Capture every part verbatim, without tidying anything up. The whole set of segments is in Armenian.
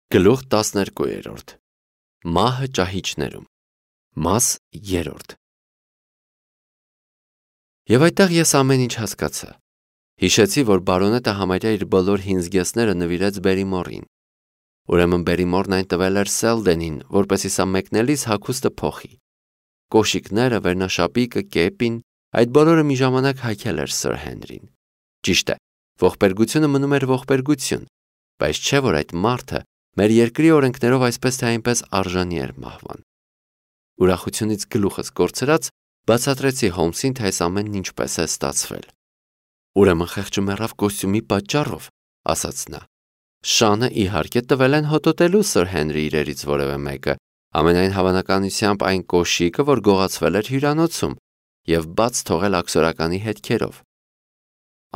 Գլուխ տասներկու Մահը ճահիճներում Մաս երրորդ Եվ այդտեղ ես ամեն ինչ հասկացա։ Հիշեցի, որ բարոնետը համարյա իր բոլոր հին զգեստները նվիրեց Բերիմորին։ Ուրեմն Բերիմորն այն տվել էր Սելդենին, որպեսզի սա մեկնելիս հագուստը փոխի։ Կոշիկները, վերնաշապիկը, կեպին, այդ բոլորը մի ժամանակ հագել էր Սըր Հենրին։ Ճիշտ է, ողբերգությունը մնում էր ողբերգություն, բայց չէ որ այդ մարդը մեր երկրի օրենքներով այսպես թե այնպես արժանի էր մահվան։ Ուրախությունից գլուխս կորցրած բացատրեցի Հոլմսին, թե այս ամենն ինչպես է ստացվել։ Ուրեմն խեղճը մեռավ կոստյումի պատճառով, ասաց նա։ Շանը իհարկե տվել են հոտոտելու Սըր Հենրի իրերից որևէ մեկը, ամենայն հավանականությամբ այն կոշիկը, որ գողացվել էր հյուրանոցում եւ բաց թողել աքսորականի հետքերով։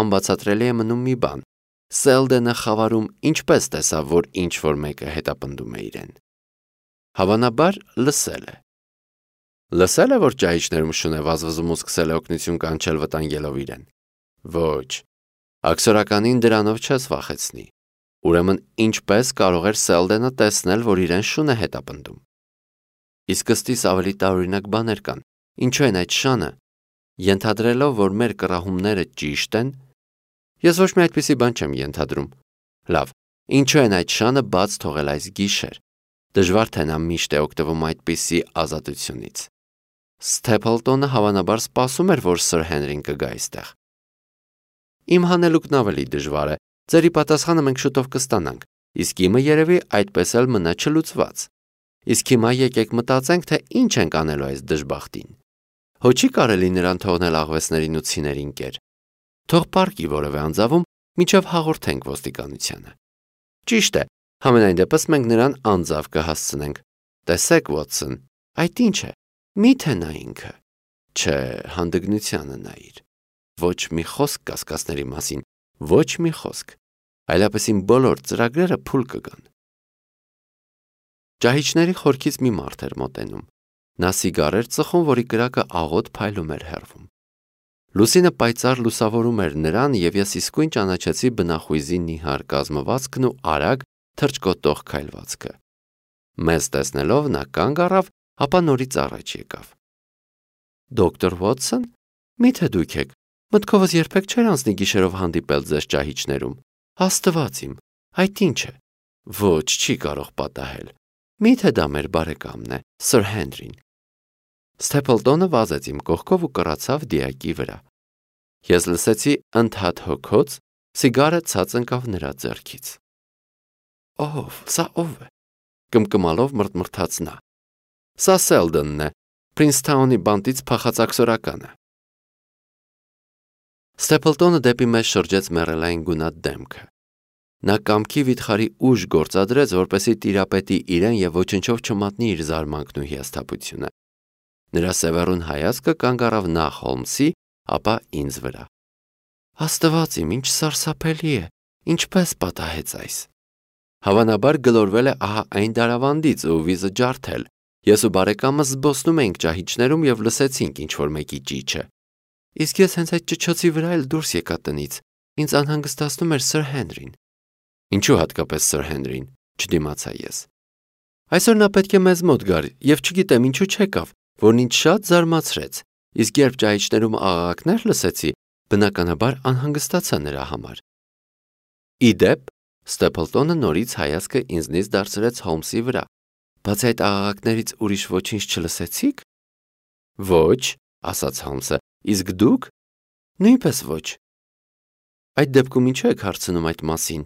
Անբացատրելի է մնում մի բան. Սելդենը խավարում ինչպես տեսավ, որ ինչ որ մեկը հետապնդում է իրեն։ Հավանաբար լսել է։ Լսել է, որ ճահիճներում շուն է վազվզում ու սկսել է օգնություն կանչել վտանգելով իրեն։ Ոչ, աքսորականին դրանով չես վախեցնի։ Ուրեմն ինչպես կարող էր Սելդենը տեսնել, որ իրեն շուն է հետապնդում։ Իսկ ըստիս ավելի տարօրինակ բաներ կան։ Ինչու են այդ շանը, ենթադրելով, որ մեր կռահումները ճիշտ են, ես ոչ մի այդպիսի բան չեմ ենթադրում։ Լավ, ինչու են այդ շանը բաց թողել այս գիշեր։ Դժվար թե նա միշտ է օգտվում այդպիսի ազատությունից։ Սթեփլտոնը հավանաբար սպասում էր, որ Սըր Հենրին կգա այստեղ։ Իմ հանելուկն ավելի դժվար է։ Ձերի պատասխանը մենք շուտով կստանանք, իսկ իմը երևի այդպես էլ մնա չլուծված։ Իսկ հիմա եկեք մտածենք, թե ինչ ենք անելու այս դժբախտին։ Հո չի կարելի նրան թողնել աղվեսներին ու ցիներին կեր։ Թող պարկի որևէ անձավում, մինչև հաղորդենք ոստիկանությանը։ Ճիշտ է, համենայն դեպս մենք նրան անձավ կհասցնենք։ Տեսեք, Վոթսոն, այդ ինչ է։ Մի՞թե նա ինքը։ Չէ, հանդգնությանը նայիր։ Ոչ մի խոսք կասկածների մասին, ոչ մի խոսք։ Այլապես իմ բոլոր ծրագրերը փուլ կգան։ Ճահիճների խորքից մի մարդ էր մոտենում։ Նա սիգար էր ծխում, որի կրակը աղոտ փայլում էր հեռվում։ Լուսինը պայծառ լուսավորում էր նրան, եւ ես իսկույն ճանաչեցի բնախույզի նիհար կազմվածքն ու արագ թրջկոտող քայլվածքը։ Մեզ տեսնելով նա կանգ առավ, ապա նորից առաջ եկավ։ Դոկտոր Վոթսոն, մի՞թե դուք եք։ Մտքովս երբեք չէր անցնի գիշերով հանդիպել ձեզ ճահիճներում։ Աստված իմ, այդ ինչ է։ Ոչ, չի կարող պատահել։ Մի՞թե դա մեր բարեկամն է, Սըր Հենրին։ Սթեփլտոնը վազեց իմ կողքով ու կռացավ դիակի վրա։ Ես լսեցի ընդհատ հոգոց, սիգարը ցած ընկավ նրա ձեռքից։ Ով, սա ով է։ Կմկմալով մռթմռթաց նա։ Սա Սելդենն է, Փրինսթաունի բանտից փախած աքսորականը։ Սթեփլտոնը դեպի մեզ շրջեց մեռելային գունատ դեմքը։ Նա կամքի վիթխարի ուժ գործադրեց, որպեսզի տիրապետի իրեն եւ ոչնչով չմատնի իր զարմանքն ու հիասթափությունը։ Նրա սևեռուն հայացքը կանգ առավ նախ Հոլմսի, ապա ինձ վրա։ Աստված իմ, ինչ սարսափելի է, ինչպես պատահեց այս։ Հավանաբար գլորվել է ահա այն դարավանդից ու վիզը ջարդել։ Ես ու բարեկամս զբոսնում էինք ճահիճներում եւ լսեցինք ինչ որ մեկի ճիչը։ Իսկ ես հենց այդ ճչոցի վրա էլ դուրս եկա տնից։ Ինձ անհանգստացնում էր Սըր Հենրին։ Ինչու հատկապես Սըր Հենրին, չդիմացա ես։ Այսօր նա պետք է մեզ մոտ գար եւ չգիտեմ ինչու չեկավ, որն ինձ շատ զարմացրեց։ Իսկ երբ ճահիճներում աղաղակներ լսեցի, բնականաբար անհանգստացա նրա համար։ Իդեպ, Սթեփլտոնը նորից հայացքը ինձնից դարձրեց Հոլմսի վրա։ Բացի այդ աղաղակներից ուրիշ ոչինչ չլսեցիք։ Ոչ, ասաց Հոլմսը, իսկ դուք։ Նույնպես ոչ։ Այդ դեպքում ինչու եք հարցնում այդ մասին։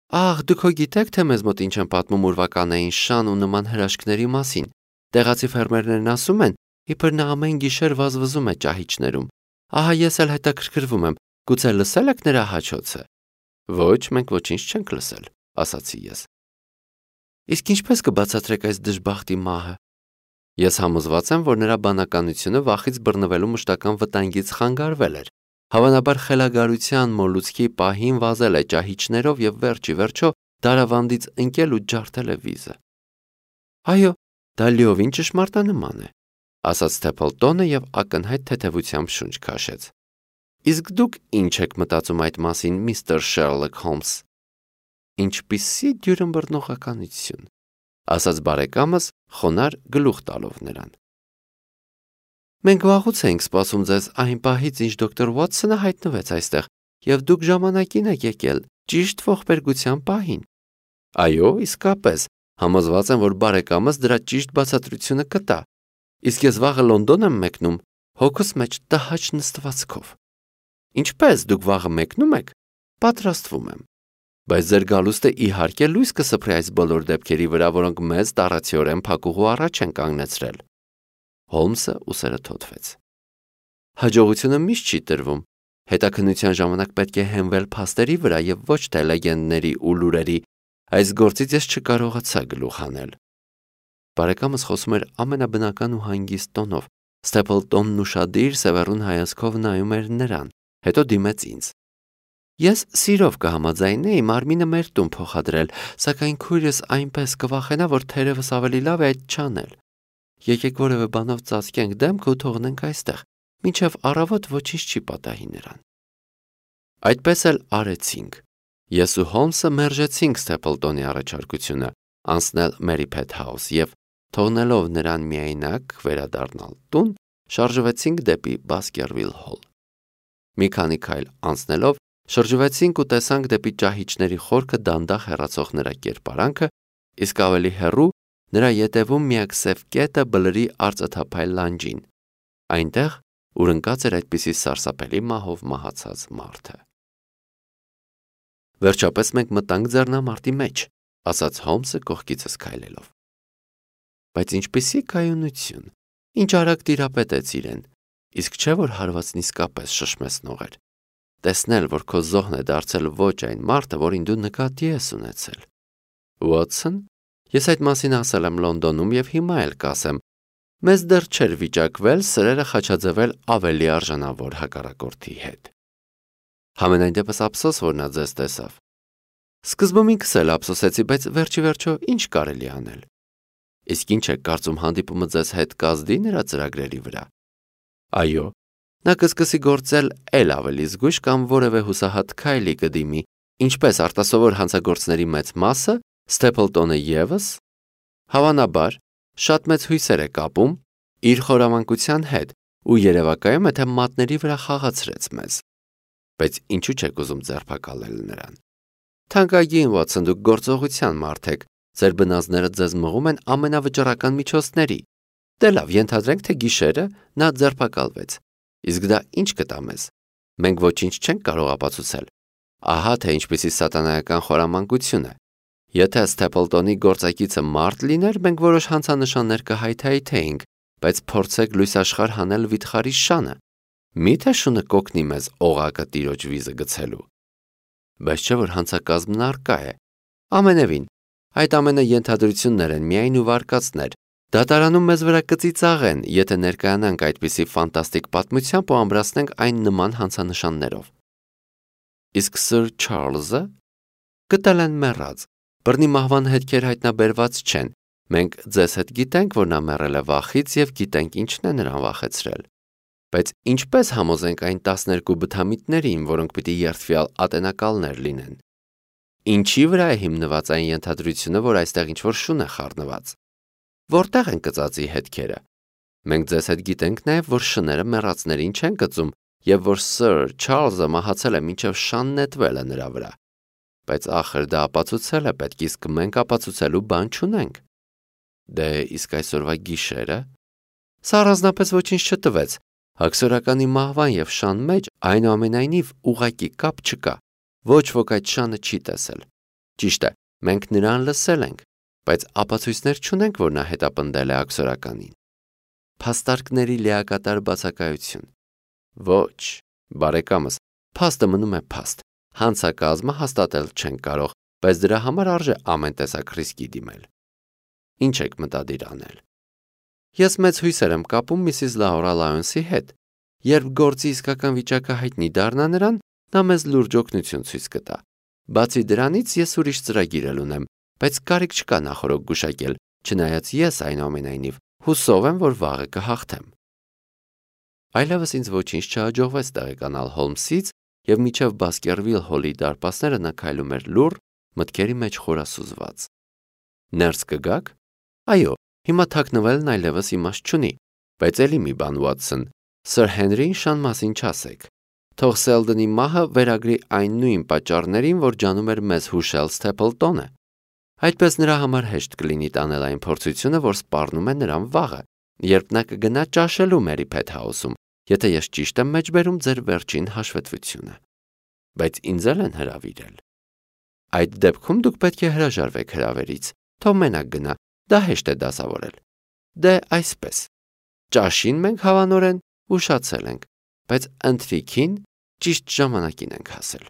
Ահ, դուք հո գիտեք, թե մեզ մոտ ինչ են պատմում ուրվականային շան ու նման հրաշքների մասին։ Տեղացի ֆերմերներն ասում են, իբր նա ամեն գիշեր վազվզում է ճահիճներում։ Ահա ես էլ հետաքրքրվում եմ, գուցե լսել եք նրա հաչոցը։ Ոչ, մենք ոչինչ չենք լսել, ասացի ես։ Իսկ ինչպես կբացատրեք այս դժբախտի մահը։ Ես համոզված եմ, որ նրա բանականությունը վախից բռնվելու մշտական վտանգից խանգարվել էր։ Հավանաբար խելագարության մոլուցքի պահին վազել է ճահիճներով եւ վերջի վերջո դարավանդից ընկել ու ջարդել է վիզը։ Այո, դա լիովին ճշմարտանման է, ասաց Սթեփլտոնը եւ ակնհայտ թեթևությամբ շունչ քաշեց։ Իսկ դուք ինչ եք մտածում այդ մասին, միստր Շերլոք Հոլմս։ Ինչպիսի դյուրըմբռնողականություն, ասաց բարեկամս խոնար գլուխ տալով նրան։ Մենք վաղուց էինք սպասում ձեզ այն պահից, ինչ դոկտոր Ուոթսոնը հայտնվեց այստեղ, եւ դուք ժամանակին եք եկել, ճիշտ ողբերգության պահին։ Այո, իսկապես, համոզված եմ, որ բարեկամս դրա ճիշտ բացատրությունը կտա։ Իսկ ես վաղը Լոնդոն եմ մեկնում, հոգուս մեջ տհաճ նստվածքով։ Ինչպես դուք վաղը մեկնում եք, պատրաստվում եմ։ Բայց ձեր գալուստը իհարկե լույս կսփռի այս բոլոր դեպքերի վրա, որոնք մեզ տառացիորեն փակուղու առաջ են կանգնեցրել։ Հոլմսը ուսերը թոթվեց։ Հաջողությունը միշտ չի տրվում։ Հետաքննության ժամանակ պետք է հենվել փաստերի վրա եւ ոչ թե լեգենդների ու լուրերի։ Այս գործից ես չկարողացա գլուխ հանել։ Բարեկամս խոսում էր ամենաբնական ու հանգիստ տոնով։ Ստեփլտոնն ուշադիր սևեռուն հայացքով նայում էր նրան, հետո դիմեց ինձ։ Ես սիրով կհամաձայնեի մարմինը մեր տուն փոխադրել, սակայն քույրս այնպես կվախենա, որ թերևս ավելի լավ է այդ չանել։ Եկեք որևէ բանով ծածկենք դեմքը ու թողնենք այստեղ, մինչև առավոտ ոչինչ չի պատահի նրան։ Այդպես էլ արեցինք։ Ես ու Հոլմսը մերժեցինք Ստեփլտոնի առաջարկությունը անցնել Մերիփեթ House եւ թողնելով նրան միայնակ վերադառնալ տուն, շարժվեցինք դեպի Բասկերվիլ Հոլ։ Մի քանի քայլ անցնելով շրջվեցինք ու տեսանք դեպի ճահիճների խորքը դանդաղ հեռացող նրա կերպարանքը, իսկ ավելի հեռու նրա ետևում միակ սև կետը բլրի արծաթափայլ լանջին, այնտեղ, ուր ընկած էր այդպիսի սարսափելի մահով մահացած մարդը։ Վերջապես մենք մտանք ձեռնամարտի մեջ, ասաց Հոլմսը կողքիցս քայլելով։ Բայց ինչպիսի կայունություն, ինչ արագ տիրապետեց իրեն, իսկ չէ որ հարվածն իսկապես շշմեցնող էր։ Տեսնել, որ քո զոհն է դարձել ոչ այն մարդը, որին դու նկատի ես ունեցել։ Ուոթսոն, ես այդ մասին ասել եմ Լոնդոնում եւ հիմա էլ կասեմ, մեզ դեռ չէր վիճակվել սրերը խաչաձևել ավելի արժանավոր հակառակորդի հետ։ Համենայն դեպս ափսոս, որ նա ձեզ տեսավ։ Սկզբում ինքս էլ ափսոսեցի, բայց վերջի վերջո ինչ կարելի անել։ Իսկ ինչ եք կարծում հանդիպումը ձեզ հետ կազդի նրա ծրագրերի վրա։ Այո, նա կսկսի գործել էլ ավելի զգույշ կամ որևէ հուսահատ քայլի կդիմի, ինչպես արտասովոր հանցագործների մեծ մասը, Ստեփլտոնը ևս, հավանաբար, շատ մեծ հույսեր է կապում իր խորամանկության հետ ու երևակայում է, թե մատների վրա խաղացրեց մեզ։ Բայց ինչու չեք ուզում ձերբակալել նրան։ Թանկագին Ուոթսոն, դուք գործողության մարդ եք, ձեր բնազդները ձեզ մղում են ամենավճռական միջոցների։ Դե լավ, ենթադրենք, թե գիշերը նա ձերբակալվեց։ Իսկ դա ինչ կտա մեզ։ Մենք ոչինչ չենք կարող ապացուցել։ Ահա թե ինչպիսի սատանայական խորամանկություն է։ Եթե Ստեփլտոնի գործակիցը մարդ լիներ, մենք որոշ հանցանշաններ կհայթայթեինք, բայց փորձեք լույսաշխարհ հանել վիթխարի շանը։ Մի՞թե շունը կօգնի մեզ օղակը տիրոջ վիզը գցելու։ Բայց չէ որ հանցակազմն առկա է։ Ամենևին, այդ ամենը ենթադրություններ են, միայն ու վարկածներ։ Դատարանում մեզ վրա կծիծաղեն, եթե ներկայանանք այդպիսի ֆանտաստիկ պատմությամբ ու ամրացնենք այն նման հանցանշաններով։ Իսկ Սր Չարլզը գտել են մեռած։ Բռնի մահվան հետքեր հայտնաբերված չեն։ Մենք ձեզ հետ գիտենք, որ նա մեռել է վախից եւ գիտենք ինչն է նրան վախեցրել։ Բայց ինչպես համոզենք այն տասներկու բթամիտներին, որոնք պիտի երդվյալ ատենակալներ լինեն։ Ինչի վրա է հիմնված այն ենթադրությունը, որ այստեղ ինչ-որ շուն է խառնված։ Որտեղ են կծածի հետքերը։ Մենք ձեզ հետ գիտենք նաեւ, որ շները մեռածներին չեն կծում եւ որ Սր Չարլզը մահացել է մինչեւ շան նետվել է նրա վրա։ Բայց ախր դա ապացուցել է պետք, իսկ մենք ապացուցելու բան չունենք։ Դե իսկ այսօրվա գիշերը սա առանձնապես ոչինչ չտվեց։ Հաքսորականի մահվան եւ շան մեջ այնուամենայնիվ ուղակի կապ չկա։ Ոչ ոք այդ շանը չի տեսել։ Ճիշտ է, մենք նրան լսել ենք, բայց ապացույցներ չունենք, որ նա հետապնդել է հաքսորականին։ Փաստարկների լիակատար բացակայություն։ Ոչ, բարեկամս, փաստը մնում է փաստ։ Հանցակազմը հաստատել չենք կարող, բայց դրա համար արժե ամեն տեսակ ռիսկի դիմել։ Ինչ եք մտադիր անել։ Ես մեծ հույսեր եմ կապում Միսիս Լաուրա Լայոնսի հետ։ Երբ գործի իսկական վիճակը հայտնի դառնա նրան, նա մեզ լուրջ օգնություն ցույց կտա։ Բացի դրանից ես ուրիշ ծրագիր էլ ունեմ, բայց կարիք չկա նախորդ գուշակել, չնայած ես այնուամենայնիվ հուսով եմ, որ վաղը կհաղթեմ։ Այլևս ինձ ոչինչ չհաջողվեց տեղեկանալ Հոլմսից, եւ միջև Բասկերվիլ Հոլի դարպասները նա քայլում էր լուռ, մտքերի մեջ խորասուզված։ Ներս կգաք։ Այո, հիմա թաքնվելն այլևս իմաստ չունի, բայց էլի մի բան, Ուատսոն, Սր Հենրին շան մասին չասեք։ Թող Սելդոնի մահը վերագրի այն նույն պատճառներին, որ ջանում էր մեզ հուշել Սթեփլտոնը։ Այդպես նրա համար հեշտ կլինի տանել այն փորձությունը, որ սպառնում է նրան վաղը, երբ նա կգնա ճաշելու Մերի Փեթհաուսում, եթե ես ճիշտ եմ մեջբերում ձեր վերջին հաշվետվությունը։ Բայց ինձ էլ են հրավիրել։ Այդ դեպքում դուք պետք է հրաժարվեք հրավերից, թող մենակ գնա, դա հեշտ է դասավորել։ Դե այսպես։ Ճաշին մենք հավանորեն ուշացել ենք, բայց ընթրիքին ճիշտ ժամանակին ենք հասել։